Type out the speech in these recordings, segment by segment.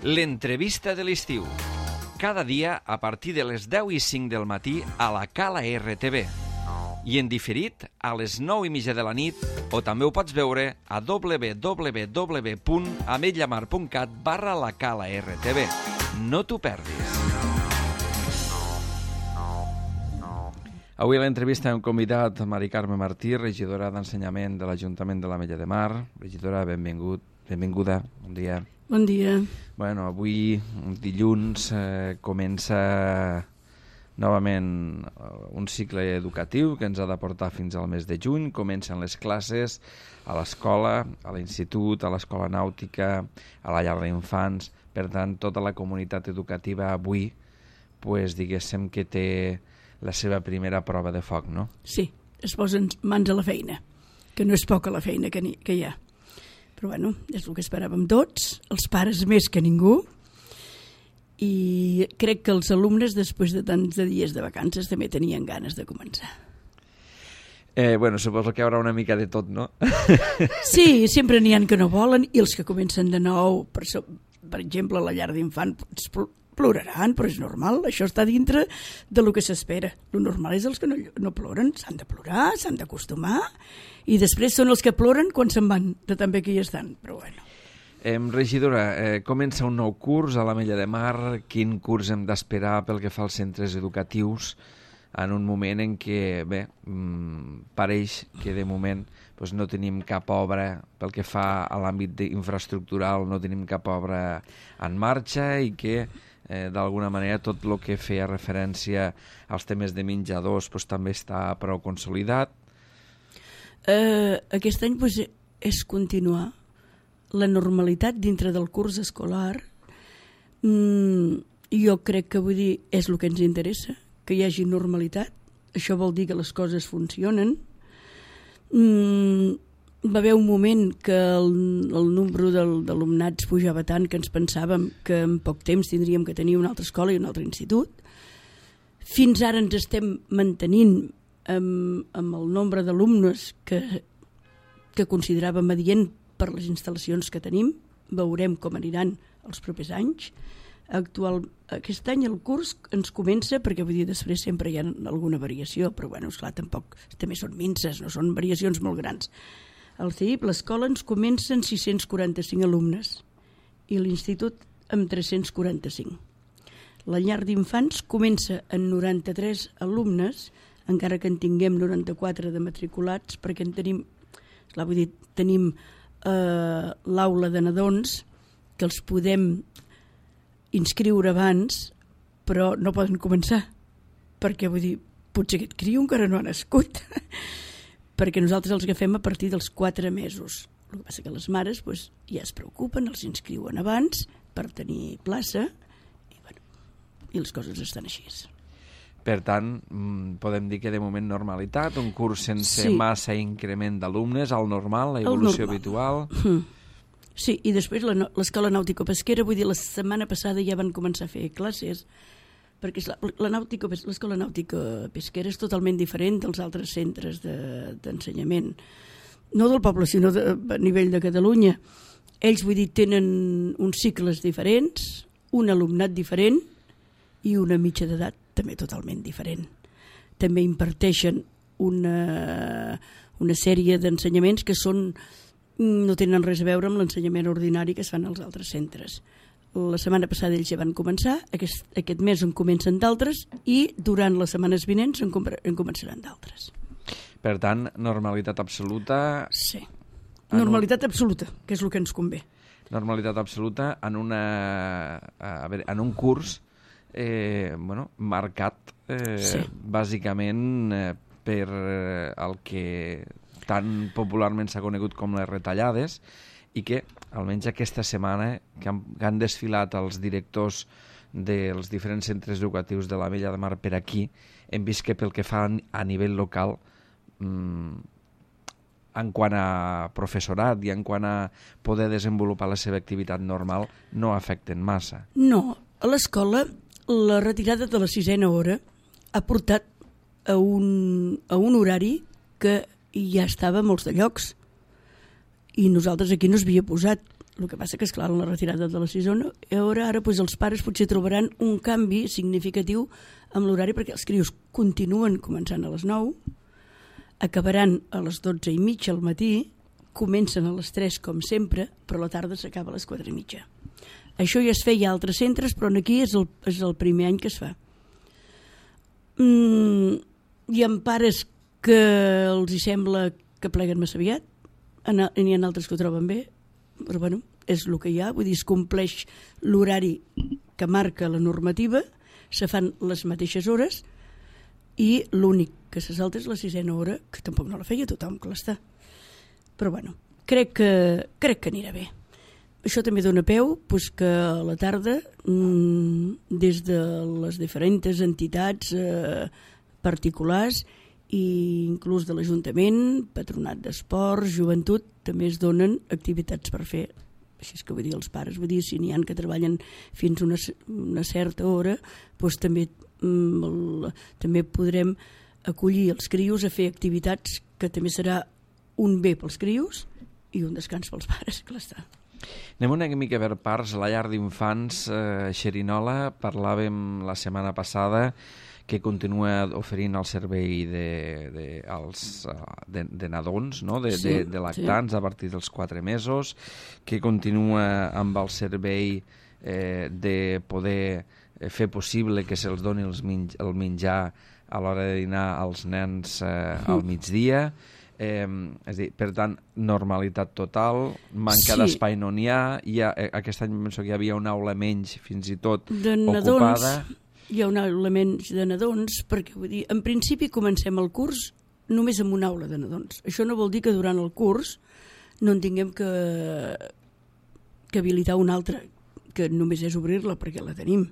L'entrevista de l'estiu. Cada dia a partir de les 10:05 del matí a la Cala RTV. I en diferit a les 9:30 de la nit, o també ho pots veure a www.ametlllamar.cat/la Cala RTV. No t'ho perdis. Avui a l'entrevista hem convidat Mari Carme Martí, regidora d'Ensenyament de l'Ajuntament de l'Ametlla de Mar. Regidora, benvinguda, bon dia. Bon dia. Bueno, avui, dilluns, comença novament un cicle educatiu que ens ha de portar fins al mes de juny. Comencen les classes a l'escola, a l'institut, a l'escola nàutica, a la llar d'infants. Per tant, tota la comunitat educativa avui, diguéssim que té la seva primera prova de foc, no? Sí, es posen mans a la feina, que no és poca la feina que hi ha. Però bueno, és el que esperàvem tots, els pares més que ningú, i crec que els alumnes, després de tants de dies de vacances, també tenien ganes de començar. Bueno, suposo que hi haurà una mica de tot, no? Sí, sempre n'hi ha que no volen, i els que comencen de nou, per exemple, a la llar d'infants, ploraran, però és normal, això està dintre de lo que s'espera. Lo normal és els que no ploren, s'han de plorar, s'han d'acostumar, i després són els que ploren quan se'n van, de també que hi estan, però bueno. Regidora, comença un nou curs a l'Ametlla de Mar. Quin curs hem d'esperar pel que fa als centres educatius en un moment en què, bé, pareix que de moment no tenim cap obra pel que fa a l'àmbit infraestructural, no tenim cap obra en marxa i que d'alguna manera tot el que feia referència als temes de menjadors també està prou consolidat. Aquest any és continuar la normalitat dintre del curs escolar. Jo crec que és el que ens interessa, que hi hagi normalitat. Això vol dir que les coses funcionen. Va haver un moment que el nombre d'alumnats pujava tant que ens pensàvem que en poc temps tindríem que tenir una altra escola i un altre institut. Fins ara ens estem mantenint amb el nombre d'alumnes que consideràvem adient per les instal·lacions que tenim. Veurem com aniran els propers anys. Aquest any el curs ens comença, perquè després sempre hi ha alguna variació, però esclar, tampoc també són minces, no són variacions molt grans. Al CEIP l'escola ens comença amb 645 alumnes i l'institut amb 345. La llar d'infants comença amb 93 alumnes, encara que en tinguem 94 de matriculats, perquè tenim l'aula de nadons que els podem inscriure abans, però no poden començar, perquè potser aquest criu encara no ha nascut, perquè nosaltres els agafem a partir dels 4 mesos. El que passa que les mares ja es preocupen, els inscriuen abans per tenir plaça, i les coses estan així. Per tant, podem dir que de moment normalitat, un curs sense massa increment d'alumnes, al normal, la evolució habitual. Sí, i després l'escola nàutico-pesquera, la setmana passada ja van començar a fer classes, perquè l'escola nàutico-pesquera és totalment diferent dels altres centres d'ensenyament, no del poble, sinó a nivell de Catalunya. Ells, tenen uns cicles diferents, un alumnat diferent i una mitja d'edat també totalment diferent. També imparteixen una sèrie d'ensenyaments que no tenen res a veure amb l'ensenyament ordinari que es fan als altres centres. La setmana passada ells ja van començar, aquest mes en comencen d'altres i durant les setmanes vinents en començaran d'altres. Per tant, normalitat absoluta... Sí, normalitat absoluta, que és el que ens convé. Normalitat absoluta en un curs marcat bàsicament per el que tan popularment s'ha conegut com les retallades, i que almenys aquesta setmana que han desfilat els directors dels diferents centres educatius de l'Ametlla de Mar per aquí, hem vist que pel que fa a nivell local, en quant a professorat i en quant a poder desenvolupar la seva activitat normal, no afecten massa. No, a l'escola la retirada de la 6a hora ha portat a un horari que ja estava a molts de llocs i nosaltres aquí no s'havia posat. El que passa que, esclar, en la retirada de la sisena hora, ara doncs, els pares potser trobaran un canvi significatiu amb l'horari, perquè els crios continuen començant a les 9, acabaran a les 12:30 al matí, comencen a les 3 com sempre, però a la tarda s'acaba a les 4:30. Això ja es feia a altres centres, però aquí és el primer any que es fa. Hi ha pares que els hi sembla que pleguen massa aviat, n'hi ha altres que ho troben bé, però bueno, és el que hi ha, vull dir, es compleix l'horari que marca la normativa, se fan les mateixes hores i l'únic que se salta és la sisena hora, que tampoc no la feia tothom, clar està. Però bueno, crec que anirà bé. Això també dona peu doncs, que a la tarda, des de les diferents entitats particulars i inclús de l'Ajuntament, Patronat d'Esports, Joventut, també es donen activitats per fer. Així és que vull dir, els pares, vull dir, si n'hi ha que treballen fins una certa hora, doncs també podrem acollir els crios a fer activitats que també serà un bé pels crios i un descans pels pares, clar està. Anem una mica per parts. La llar d'infants Xerinola, parlàvem la setmana passada que continua oferint el servei de nadons, no? de lactants a partir dels 4 mesos, que continua amb el servei de poder fer possible que se'ls doni el menjar a l'hora de dinar als nens al migdia. És a dir, per tant, normalitat total, manca d'espai no n'hi ha, aquest any penso que hi havia una aula menys fins i tot ocupada. Hi ha una aula menys de nadons, perquè vull dir, en principi comencem el curs només amb una aula de nadons. Això no vol dir que durant el curs no en tinguem que habilitar una altra, que només és obrir-la perquè la tenim.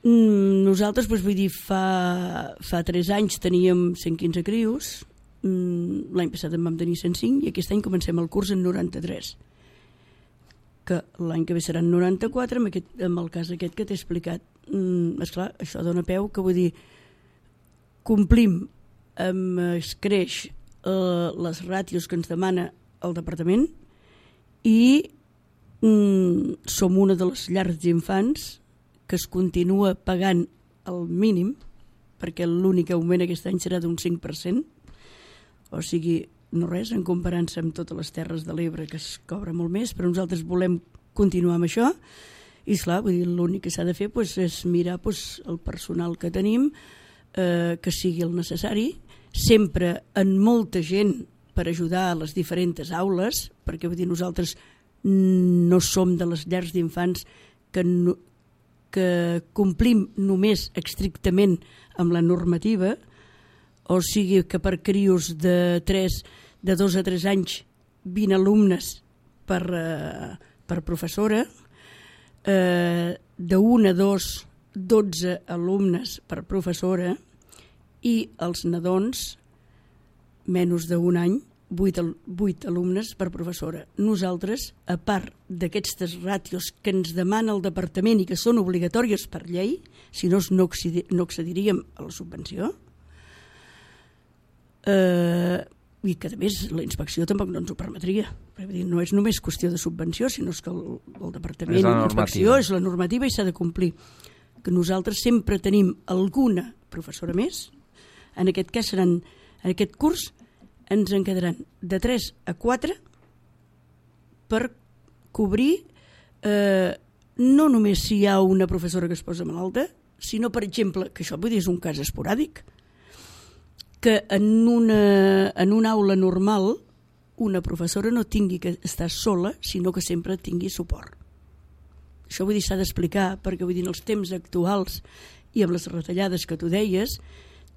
Nosaltres, doncs, vull dir, fa 3 anys teníem 115 crios, l'any passat en vam tenir 105 i aquest any comencem el curs en 93, que l'any que ve seran 94 amb el cas aquest que t'he explicat. Esclar, això dona peu que vull dir, complim es creix les ràtios que ens demana el departament i som una de les llars d'infants que es continua pagant el mínim, perquè l'únic augment aquest any serà d'un 5%, o sigui, no res, en comparança amb totes les Terres de l'Ebre, que es cobra molt més, però nosaltres volem continuar amb això, i esclar, vull dir, l'únic que s'ha de fer és mirar el personal que tenim, que sigui el necessari, sempre en molta gent per ajudar a les diferents aules, perquè vull dir, nosaltres no som de les llars d'infants que complim només estrictament amb la normativa, o sigui que per crios de 2 a 3 anys 20 alumnes per professora, de 1 a 2 12 alumnes per professora i els nadons menys d'un any 8 alumnes per professora. Nosaltres, a part d'aquestes ràtios que ens demana el departament i que són obligatòries per llei, si no accediríem a la subvenció, i que a més la inspecció tampoc no ens ho permetria. No és només qüestió de subvenció, sinó que el departament i la inspecció és la normativa i s'ha de complir. Que nosaltres sempre tenim alguna professora més, en aquest cas seran, en aquest curs ens en quedaran de 3 a 4 per cobrir no només si hi ha una professora que es posa malalta, sinó, per exemple, que això vull dir és un cas esporàdic, que en una aula normal una professora no tingui que estar sola, sinó que sempre tingui suport. Això vull dir s'ha d'explicar, perquè vull dir en els temps actuals i amb les retallades que tu deies,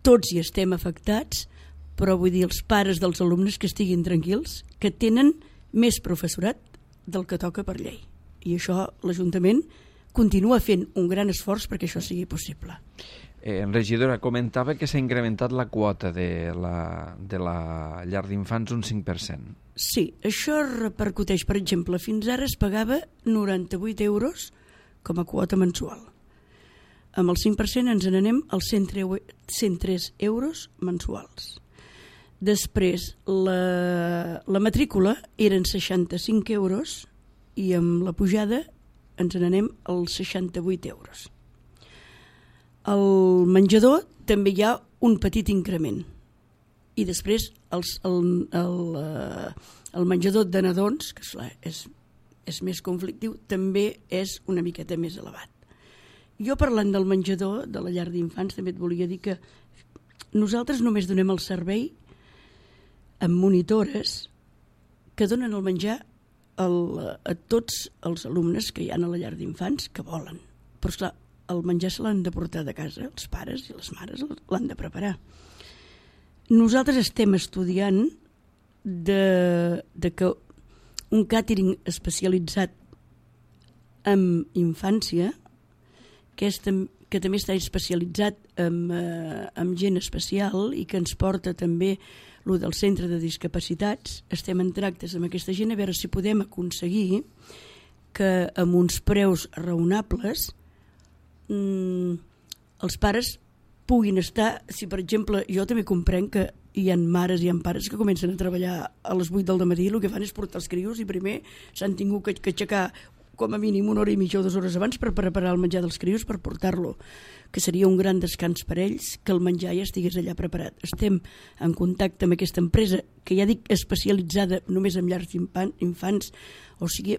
tots hi estem afectats, però vull dir els pares dels alumnes que estiguin tranquils, que tenen més professorat del que toca per llei. I això l'Ajuntament continua fent un gran esforç perquè això sigui possible. Regidora, comentava que s'ha incrementat la quota de la llar d'infants un 5%. Sí, això repercuteix, per exemple, fins ara es pagava 98 euros com a quota mensual. Amb el 5% ens n'anem als 103 euros mensuals. Després, la matrícula eren 65 euros i amb la pujada ens n'anem als 68 euros. Al menjador també hi ha un petit increment. I després el menjador de nadons, que és més conflictiu, també és una miqueta més elevat. Jo, parlant del menjador de la llar d'infants, també et volia dir que nosaltres només donem el servei amb monitores que donen el menjar a tots els alumnes que hi ha a la llar d'infants que volen. Però, esclar, el menjar se l'han de portar de casa, els pares i les mares l'han de preparar. Nosaltres estem estudiant de que un càtering especialitzat en infància, que també està especialitzat en gent especial i que ens porta també el del centre de discapacitats, estem en tractes amb aquesta gent a veure si podem aconseguir que amb uns preus raonables els pares puguin estar, si per exemple jo també comprenc que hi ha mares i hi ha pares que comencen a treballar a les 8 del matí i el que fan és portar els crios i primer s'han tingut que aixecar com a mínim 1 hora i mitja o 2 hores abans per preparar el menjar dels crios per portar-lo, que seria un gran descans per ells que el menjar ja estigués allà preparat. Estem en contacte amb aquesta empresa que ja dic especialitzada només en llars d'infants, o sigui,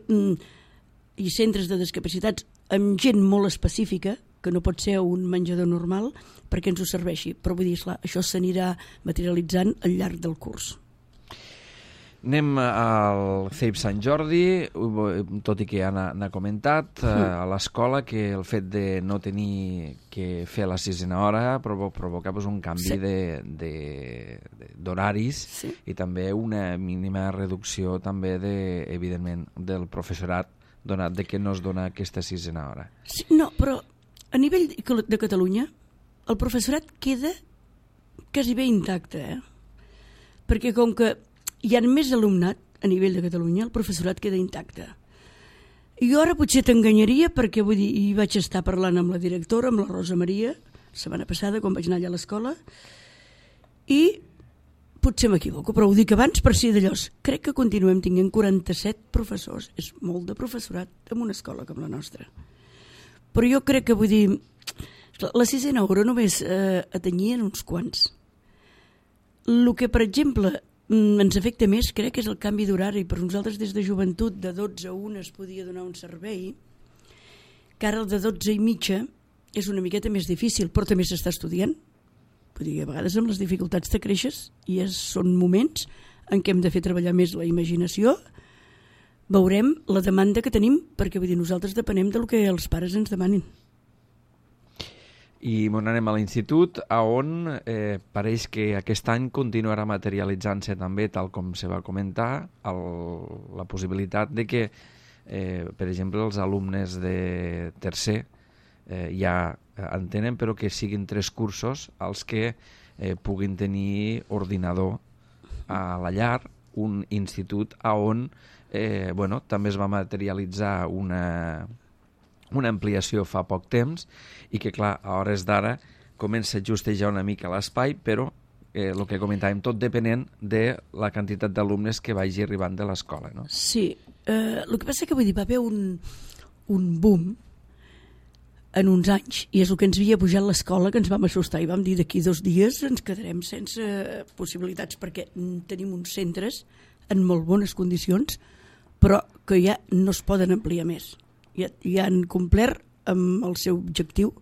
i centres de discapacitats amb gent molt específica, que no pot ser un menjador normal perquè ens ho serveixi, però vull dir, esclar, això s'anirà materialitzant al llarg del curs. Anem al CEIP Sant Jordi, tot i que ja n'ha comentat, a l'escola, que el fet de no tenir que fer la 6a hora provoca un canvi d'horaris i també una mínima reducció també, evidentment, del professorat, donat que no es dona aquesta 6a hora. Sí, no, però a nivell de Catalunya el professorat queda quasi bé intacte, perquè com que hi ha més alumnat a nivell de Catalunya, el professorat queda intacte. Jo ara potser t'enganyaria perquè vull dir, hi vaig estar parlant amb la directora, amb la Rosa Maria, la setmana passada, quan vaig anar allà a l'escola, i potser m'equivoco, però ho dic abans per si d'allòs. Crec que continuem tinguent 47 professors. És molt de professorat en una escola com la nostra. Però jo crec que, vull dir, la 6a hora només atenyien uns quants. El que, per exemple, ens afecta més, crec que és el canvi d'horari. Per nosaltres des de joventut de 12 a 1 es podia donar un servei, que ara el de 12 i mitja és una miqueta més difícil, però també s'està estudiant. Vull dir, a vegades amb les dificultats te creixes i són moments en què hem de fer treballar més la imaginació. Veurem la demanda que tenim, perquè vull dir, nosaltres depenem del que els pares ens demanin. I anem a l'institut, on pareix que aquest any continuarà materialitzant-se també, tal com se va comentar, la possibilitat de que, per exemple, els alumnes de tercer ja en tenen, però que siguin 3 cursos els que puguin tenir ordinador a la llar, un institut on també es va materialitzar una ampliació fa poc temps i que, clar, a hores d'ara comença a justejar una mica l'espai, però el que comentàvem, tot depenent de la quantitat d'alumnes que vagi arribant de l'escola, no? Sí, el que passa que vull dir, va haver un boom en uns anys, i és el que ens havia pujat l'escola, que ens vam assustar i vam dir d'aquí 2 dies ens quedarem sense possibilitats, perquè tenim uns centres en molt bones condicions, però que ja no es poden ampliar més. Ja han complert amb el seu objectiu.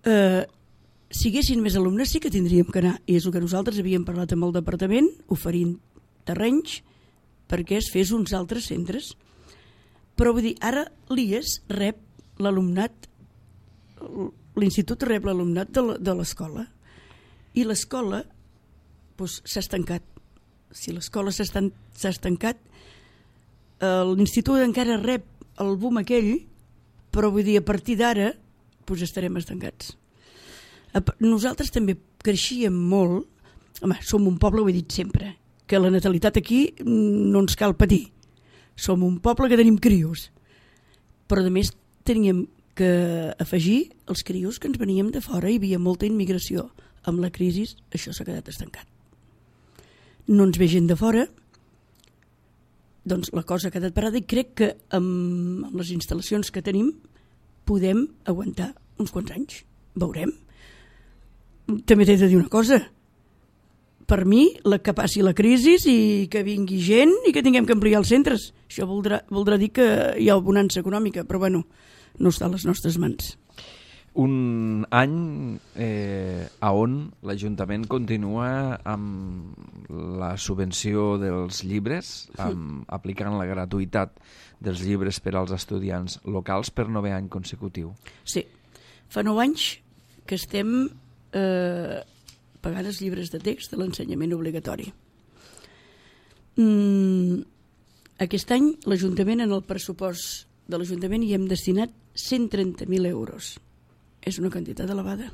Si haguessin més alumnes sí que tindríem que anar, i és el que nosaltres havíem parlat amb el departament, oferint terrenys perquè es fes uns altres centres. Però vull dir, ara l'IES rep l'alumnat, l'institut rep l'alumnat de l'escola, i l'escola s'ha estancat. Si l'escola s'ha estancat, l'institut encara rep el boom aquell, però vull dir, a partir d'ara estarem estancats. Nosaltres també creixíem molt. Home, som un poble, ho he dit sempre, que la natalitat aquí no ens cal patir. Som un poble que tenim crios, però a més teníem que afegir els crios que ens veníem de fora, hi havia molta immigració. Amb la crisi això s'ha quedat estancat. No ens ve gent de fora, doncs la cosa ha quedat parada i crec que amb les instal·lacions que tenim podem aguantar uns quants anys. Veurem. També t'he de dir una cosa. Per mi, que passi la crisi i que vingui gent i que tinguem que ampliar els centres. Això voldrà dir que hi ha bonança econòmica, però bueno, no està a les nostres mans. Un any on l'Ajuntament continua amb la subvenció dels llibres, aplicant la gratuïtat dels llibres per als estudiants locals per 9è any consecutiu. Sí, fa 9 anys que estem pagant els llibres de text de l'ensenyament obligatori. Aquest any l'Ajuntament, en el pressupost de l'Ajuntament, hi hem destinat 130.000 euros. És una quantitat elevada.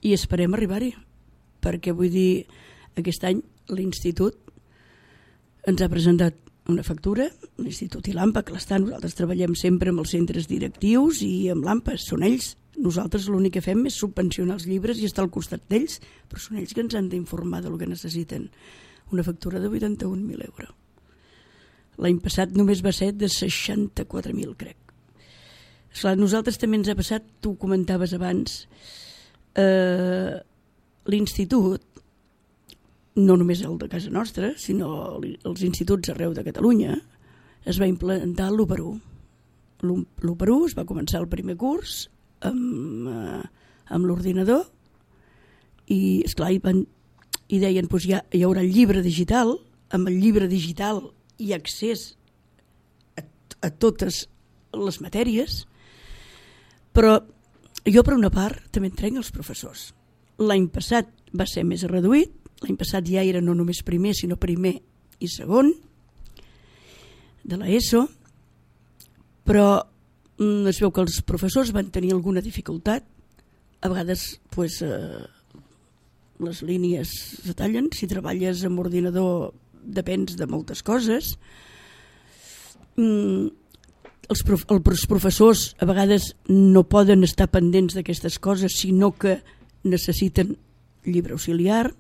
I esperem arribar-hi, perquè vull dir, aquest any l'Institut ens ha presentat una factura, l'Institut i l'AMPA, que nosaltres treballem sempre amb els centres directius i amb l'AMPA, són ells. Nosaltres l'únic que fem és subvencionar els llibres i estar al costat d'ells, però són ells que ens han d'informar del que necessiten. Una factura de 81.000 euros. L'any passat només va ser de 64.000, crec. Esclar, nosaltres també ens ha passat, tu ho comentaves abans, l'Institut, no només el de casa nostra, sinó els instituts arreu de Catalunya, es va implantar l'1:1. L'1:1 es va començar el primer curs amb l'ordinador i, esclar, i deien doncs hi haurà el llibre digital, amb el llibre digital hi ha accés a totes les matèries, però jo per una part també entenc els professors. L'any passat va ser més reduït, l'any passat ja era no només primer sinó primer i segon de l'ESO, però es veu que els professors van tenir alguna dificultat, a vegades pues, les línies se tallen, si treballes amb ordinador depens de moltes coses. Els professors a vegades no poden estar pendents d'aquestes coses, sinó que necessiten llibre auxiliar.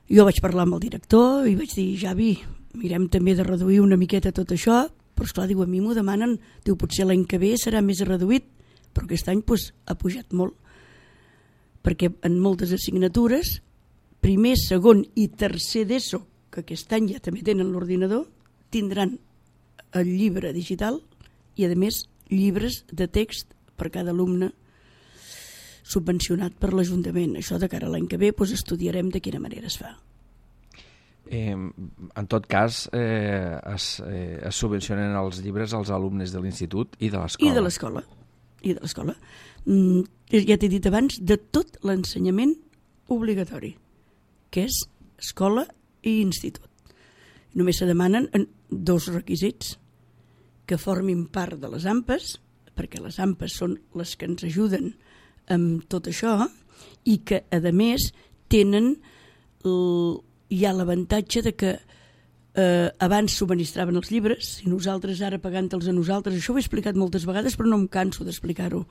Jo vaig parlar amb el director i vaig dir, Javi, mirem també de reduir una miqueta tot això, però esclar, diu, a mi m'ho demanen, diu, potser l'any que ve serà més reduït, però aquest any pues, ha pujat molt, perquè en moltes assignatures, primer, segon i tercer d'ESO, que aquest any ja també tenen l'ordinador, tindran el llibre digital i, a més, llibres de text per cada alumne subvencionat per l'Ajuntament. Això de cara a l'any que ve doncs estudiarem de quina manera es fa. En tot cas, es subvencionen els llibres als alumnes de l'institut i de l'escola. I de l'escola. Ja t'he dit abans, de tot l'ensenyament obligatori, que és escola i institut. Només se demanen 2 requisits: que formin part de les AMPAs, perquè les AMPAs són les que ens ajuden amb tot això, i que, a més, tenen hi ha l'avantatge de que abans subministraven els llibres i nosaltres ara pagant-los a nosaltres, això ho he explicat moltes vegades però no em canso d'explicar-ho.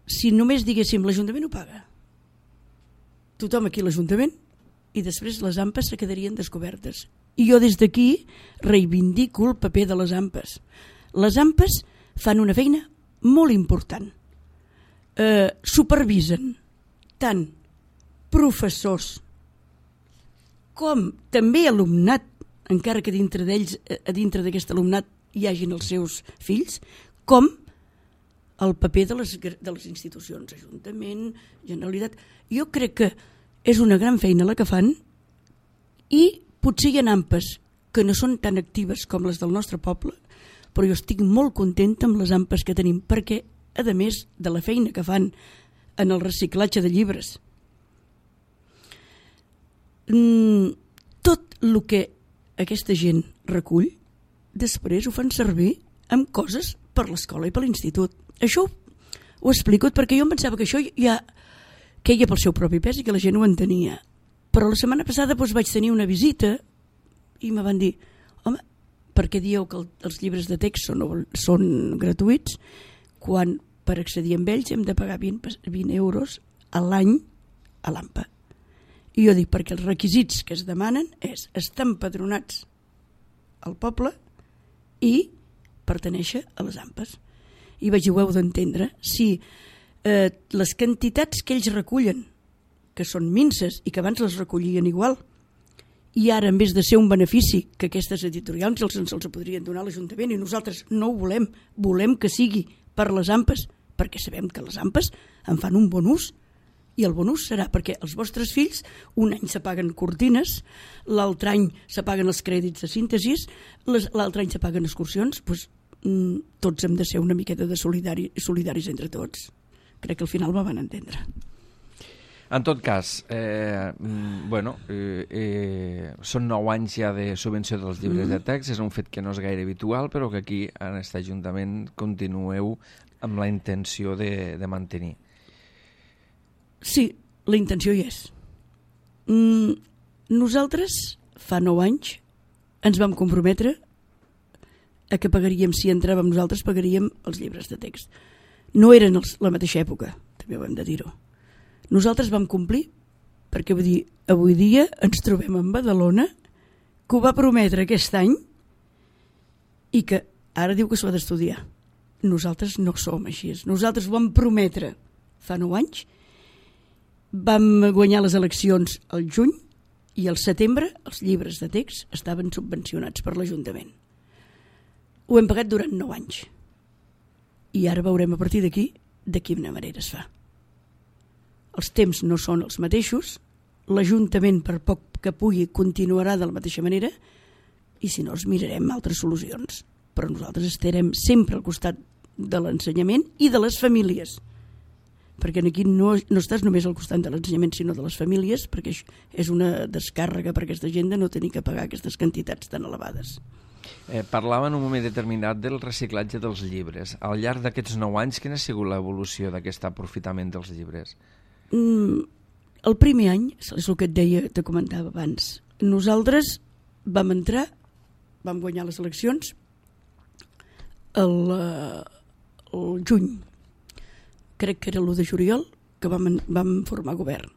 Si només diguéssim l'Ajuntament ho paga, tothom aquí a l'Ajuntament, i després les AMPAs se quedarien descobertes. I jo des d'aquí reivindico el paper de les AMPAs. Les AMPAs fan una feina molt important. Supervisen tant professors com també alumnat, encara que dintre d'ells, a dintre d'aquest alumnat hi hagin els seus fills, com el paper de les institucions, Ajuntament, Generalitat. Jo crec que és una gran feina la que fan, i potser hi ha AMPAs que no són tan actives com les del nostre poble, però jo estic molt contenta amb les AMPAs que tenim, perquè, a més de la feina que fan en el reciclatge de llibres, tot el que aquesta gent recull, després ho fan servir amb coses per l'escola i per l'institut. Això ho explico perquè jo em pensava que això ja queia pel seu propi pes i que la gent ho entenia. Però la setmana passada vaig tenir una visita i me van dir, home, per què dieu que els llibres de text són gratuïts quan per accedir amb ells hem de pagar 20 euros a l'any a l'AMPA? I jo dic, perquè els requisits que es demanen és estar empadronats al poble i pertenèixer a les AMPAs. I vaig dir, ho heu d'entendre, si les quantitats que ells recullen, que són minces i que abans les recollien igual, i ara, en vez de ser un benefici que aquestes editorials se'ls podrien donar a l'Ajuntament, i nosaltres no ho volem que sigui per les AMPAs, perquè sabem que les AMPAs en fan un bon ús, i el bon ús serà perquè els vostres fills un any s'apaguen cortines, l'altre any s'apaguen els crèdits de síntesis, l'altre any s'apaguen excursions, doncs tots hem de ser una miqueta de solidaris entre tots. Crec que al final me van entendre. En tot cas, són 9 anys ja de subvenció dels llibres de text, és un fet que no és gaire habitual, però que aquí en aquest Ajuntament continueu amb la intenció de mantenir. Sí, la intenció hi és. Nosaltres, fa 9 anys, ens vam comprometre a que pagaríem, si entràvem nosaltres, pagaríem els llibres de text. No eren la mateixa època, també ho hem de dir-ho. Nosaltres vam complir, perquè vull dir, avui dia ens trobem en Badalona, que ho va prometre aquest any i que ara diu que s'ho ha d'estudiar. Nosaltres no som així. Nosaltres ho vam prometre fa 9 anys, vam guanyar les eleccions al juny i al setembre els llibres de text estaven subvencionats per l'Ajuntament. Ho hem pagat durant 9 anys. I ara veurem a partir d'aquí de quina manera es fa. Els temps no són els mateixos, l'Ajuntament, per poc que pugui, continuarà de la mateixa manera, i si no, els mirarem altres solucions. Però nosaltres estarem sempre al costat de l'ensenyament i de les famílies, perquè aquí no estàs només al costat de l'ensenyament, sinó de les famílies, perquè és una descàrrega per aquesta gent de no tenir que pagar aquestes quantitats tan elevades. Parlava en un moment determinat del reciclatge dels llibres. Al llarg d'aquests 9 anys, quina ha sigut l'evolució d'aquest aprofitament dels llibres? El primer any, és el que et deia, te comentava abans, nosaltres vam entrar, vam guanyar les eleccions el juny, crec que era l'1 de juliol, que vam formar govern.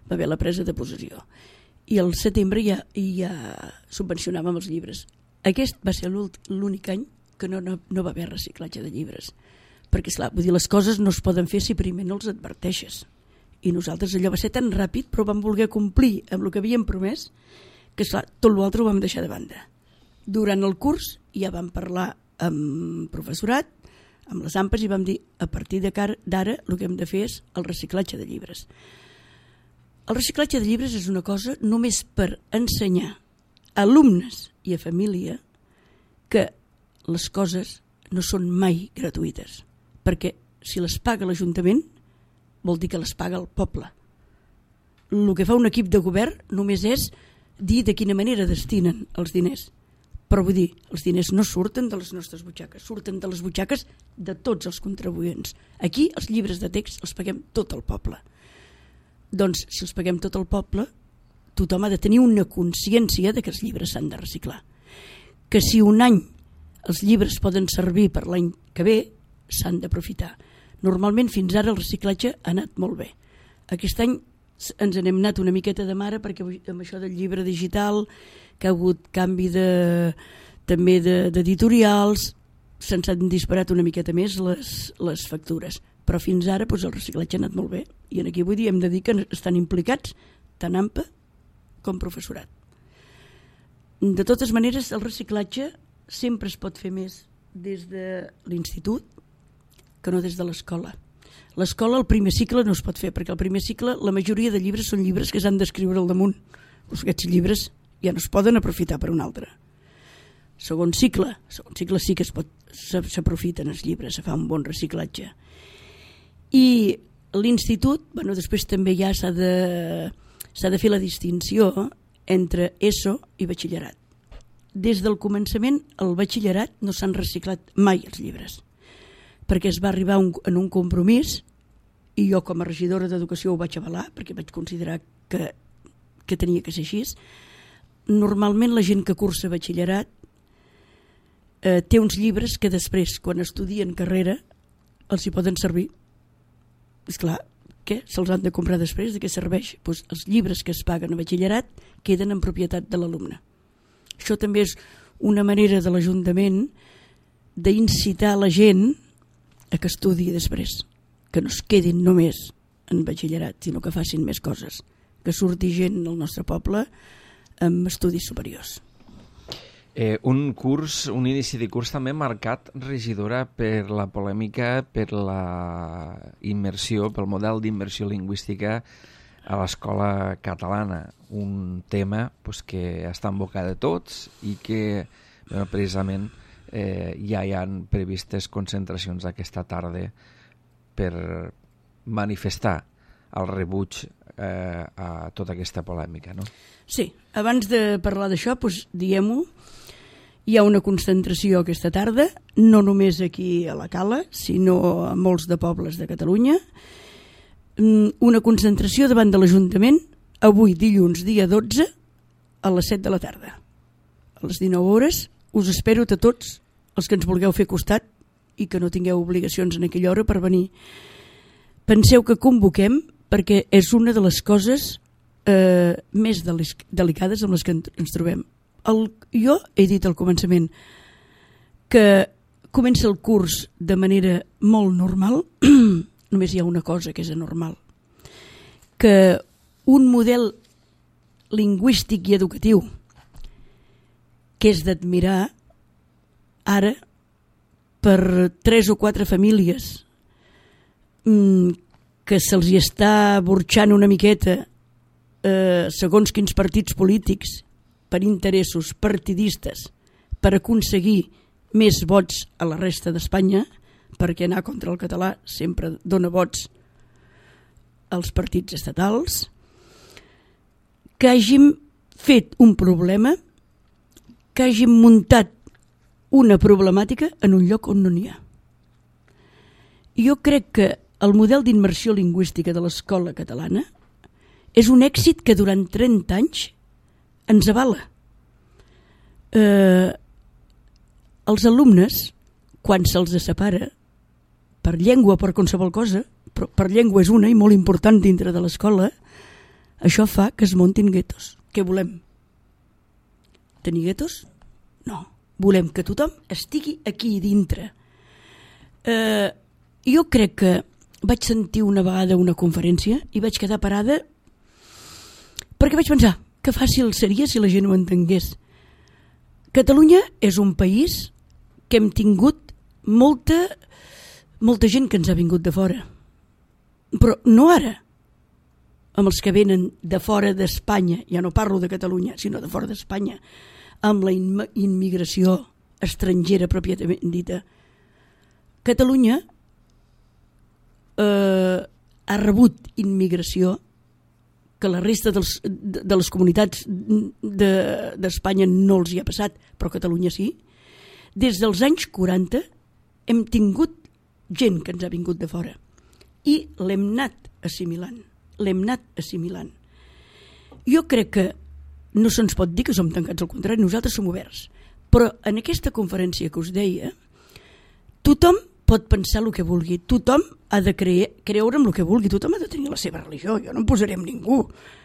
Va haver la presa de possessió. I al setembre ja subvencionàvem els llibres. Aquest va ser l'únic any que no va haver reciclatge de llibres. Perquè, esclar, vull dir, les coses no es poden fer si primer no els adverteixes. I nosaltres allò va ser tan ràpid, però vam voler complir amb el que havíem promès, que, esclar, tot l'altre ho vam deixar de banda. Durant el curs ja vam parlar amb professorat, amb les AMPAs, i vam dir, a partir d'ara el que hem de fer és el reciclatge de llibres. El reciclatge de llibres és una cosa només per ensenyar a alumnes i a família que les coses no són mai gratuïtes, perquè si les paga l'Ajuntament vol dir que les paga el poble. El que fa un equip de govern només és dir de quina manera destinen els diners. Però vull dir, els diners no surten de les nostres butxaques, surten de les butxaques de tots els contribuents. Aquí els llibres de text els paguem tot el poble. Doncs si els paguem tot el poble, tothom ha de tenir una consciència de que els llibres s'han de reciclar. Que si un any els llibres poden servir per l'any que ve, s'han d'aprofitar. Normalment fins ara el reciclatge ha anat molt bé. Aquest any ens n'hem anat una miqueta de mare perquè amb això del llibre digital, que ha hagut canvi també d'editorials, se'ns han disparat una miqueta més les factures. Però fins ara el reciclatge ha anat molt bé. I aquí vull dir, hem de dir que estan implicats tant AMPA com professorat. De totes maneres, el reciclatge sempre es pot fer més des de l'institut que no des de l'escola. L'escola, el primer cicle, no es pot fer, perquè el primer cicle, la majoria de llibres són llibres que s'han d'escriure al damunt. Aquests llibres ja no es poden aprofitar per un altre. Segon cicle sí que s'aprofiten els llibres, se fa un bon reciclatge. I l'institut, després també ja s'ha de fer la distinció entre ESO i batxillerat. Des del començament, al batxillerat no s'han reciclat mai els llibres, perquè es va arribar en un compromís, i jo com a regidora d'Educació ho vaig avalar, perquè vaig considerar que tenia que ser així. Normalment la gent que cursa batxillerat té uns llibres que després, quan estudien carrera, els hi poden servir. Esclar, què se'ls han de comprar després? De què serveix? Doncs els llibres que es paguen a batxillerat queden en propietat de l'alumne. Això també és una manera de l'Ajuntament d'incitar la gent a que estudi després, que no es quedin només en batxillerat, sinó que facin més coses, que surti gent al nostre poble amb estudis superiors. Un inici de curs també marcat, regidora, per la polèmica, per la immersió, pel model d'immersió lingüística a l'escola catalana. Un tema que està en boca de tots i que precisament ja hi han previstes concentracions aquesta tarda per manifestar el rebuig a tota aquesta polèmica, no? Sí, abans de parlar d'això, diguem-ho, hi ha una concentració aquesta tarda, no només aquí a la Cala, sinó a molts de pobles de Catalunya. Una concentració davant de l'Ajuntament, avui dilluns, dia 12, a les 7 de la tarda. A les 19 hores us espero a tots els que ens vulgueu fer costat i que no tingueu obligacions en aquella hora per venir. Penseu que convoquem perquè és una de les coses més delicades amb les que ens trobem. Jo he dit al començament que comença el curs de manera molt normal, només hi ha una cosa que és anormal, que un model lingüístic i educatiu que és d'admirar ara per 3 o 4 famílies que se'ls hi està burxant una miqueta segons quins partits polítics per interessos partidistes per aconseguir més vots a la resta d'Espanya, perquè anar contra el català sempre dona vots als partits estatals, que hàgim fet un problema, que hàgim muntat una problemàtica en un lloc on no n'hi ha. Jo crec que el model d'immersió lingüística de l'escola catalana és un èxit que durant 30 anys ens avala. Els alumnes, quan se'ls separa per llengua o per qualsevol cosa, però per llengua és una i molt important dintre de l'escola, això fa que es muntin guetos. Què volem? Tenir guetos? No. Volem que tothom estigui aquí dintre. Jo crec que vaig sentir una vegada una conferència i vaig quedar parada perquè vaig pensar que fàcil seria si la gent ho entengués. Catalunya és un país que hem tingut molta gent que ens ha vingut de fora. Però no ara, amb els que venen de fora d'Espanya, ja no parlo de Catalunya, sinó de fora d'Espanya, amb la immigració estrangera pròpiament dita. Catalunya ha rebut immigració que la resta de les comunitats d'Espanya no els hi ha passat, però Catalunya sí. Des dels anys 40 hem tingut gent que ens ha vingut de fora i l'hem anat assimilant. Jo crec que no se'ns pot dir que som tancats, al contrari, nosaltres som oberts. Però en aquesta conferència que us deia, tothom pot pensar el que vulgui, tothom ha de creure en el que vulgui, tothom ha de tenir la seva religió, jo no em posaré amb ningú.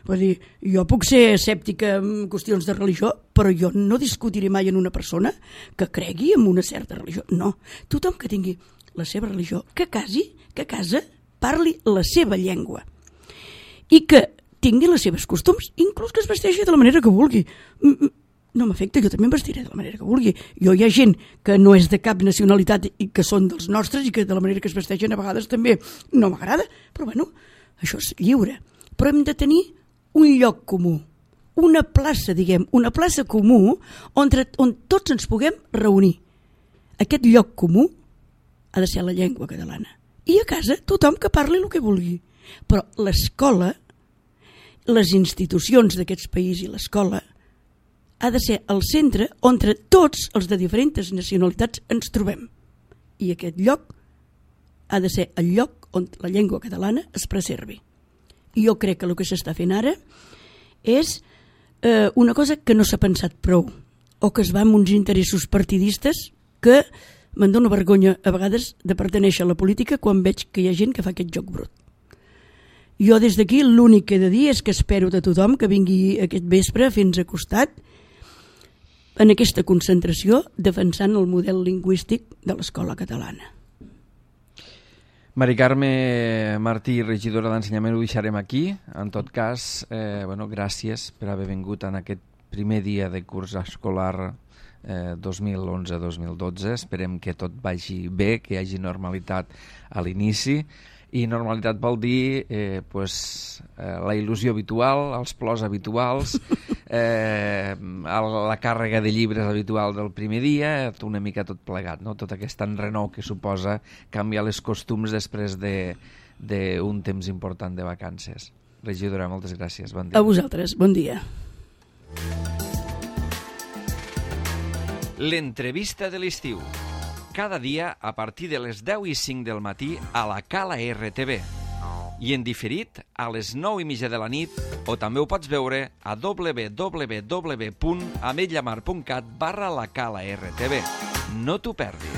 Vull dir, jo puc ser escèptica en qüestions de religió, però jo no discutiré mai en una persona que cregui en una certa religió. No, tothom que tingui la seva religió, que a casa parli la seva llengua i que tingui les seves costums, inclús que es vesteixi de la manera que vulgui. No m'afecta, jo també em vestiré de la manera que vulgui. Hi ha gent que no és de cap nacionalitat i que són dels nostres i que de la manera que es vesteixen a vegades també no m'agrada, però bueno, això és lliure. Però hem de tenir un lloc comú, una plaça, una plaça comú on tots ens puguem reunir. Aquest lloc comú ha de ser la llengua catalana. I a casa tothom que parli el que vulgui. Però l'escola, les institucions d'aquest país i l'escola ha de ser el centre on tots els de diferents nacionalitats ens trobem. I aquest lloc ha de ser el lloc on la llengua catalana es preservi. I jo crec que el que s'està fent ara és una cosa que no s'ha pensat prou, o que es va amb uns interessos partidistes que me'n dono vergonya a vegades de pertenèixer a la política quan veig que hi ha gent que fa aquest joc brut. Jo des d'aquí l'únic que he de dir és que espero de tothom que vingui aquest vespre a fer-nos costat en aquesta concentració defensant el model lingüístic de l'escola catalana. Mari Carme Martí, regidora d'Ensenyament, ho deixarem aquí. En tot cas, gràcies per haver vingut en aquest primer dia de curs escolar 2011-2012. Esperem que tot vagi bé, que hi hagi normalitat a l'inici. I normalitat vol dir la il·lusió habitual, els plors habituals, la càrrega de llibres habitual del primer dia, una mica tot plegat, no? Tot aquest enrenou que suposa canviar les costums després d'un temps important de vacances. Regidora, moltes gràcies. Bon dia. A vosaltres, bon dia. L'entrevista de l'estiu. Cada dia a partir de les 10:05 del matí a la Cala RTV. I en diferit a les 9:30 de la nit, o també ho pots veure a www.ametlllamar.cat/la Cala RTV. No t'ho perdis.